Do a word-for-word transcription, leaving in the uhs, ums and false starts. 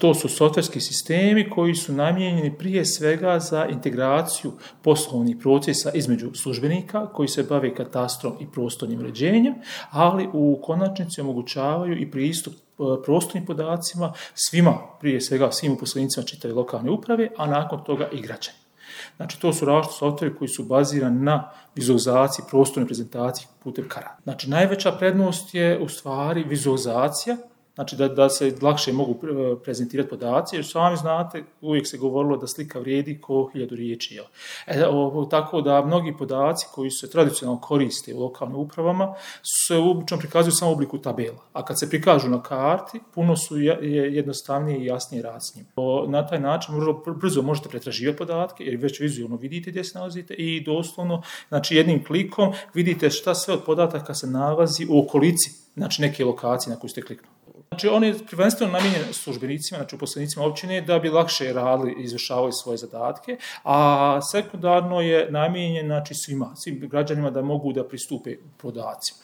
to su softverski sistemi koji su namijenjeni prije svega za integraciju poslovnih procesa između službenika koji se bave katastrom i prostornim uređenjem, ali u konačnici omogućavaju i pristup prostornim podacima svima, prije svega svim uposlenicima čitave lokalne uprave, a nakon toga i građani. Znači, to su različiti softveri koji su bazirani na vizualizaciji, prostornoj prezentaciji putem karata. Znači, najveća prednost je u stvari vizualizacija, znači da, da se lakše mogu prezentirati podaci, jer sami znate, uvijek se govorilo da slika vrijedi ko hiljadu riječi. E, o, tako da mnogi podaci koji se tradicionalno koriste u lokalnim upravama se obično prikazuju samo u obliku tabela, a kad se prikažu na karti, puno su jednostavnije i jasnije rad s njim. Na taj način brzo možete pretraživati podatke, jer već vizualno vidite gdje se nalazite i doslovno, znači jednim klikom vidite šta sve od podataka se nalazi u okolici, znači neke lokacije na koju ste kliknuli. Znači, on je prvenstveno namijenjen službenicima, znači uposlenicima općine, da bi lakše radili i izvršavali svoje zadatke, a sekundarno je namijenjen, znači, svima, svim građanima da mogu da pristupe podacima.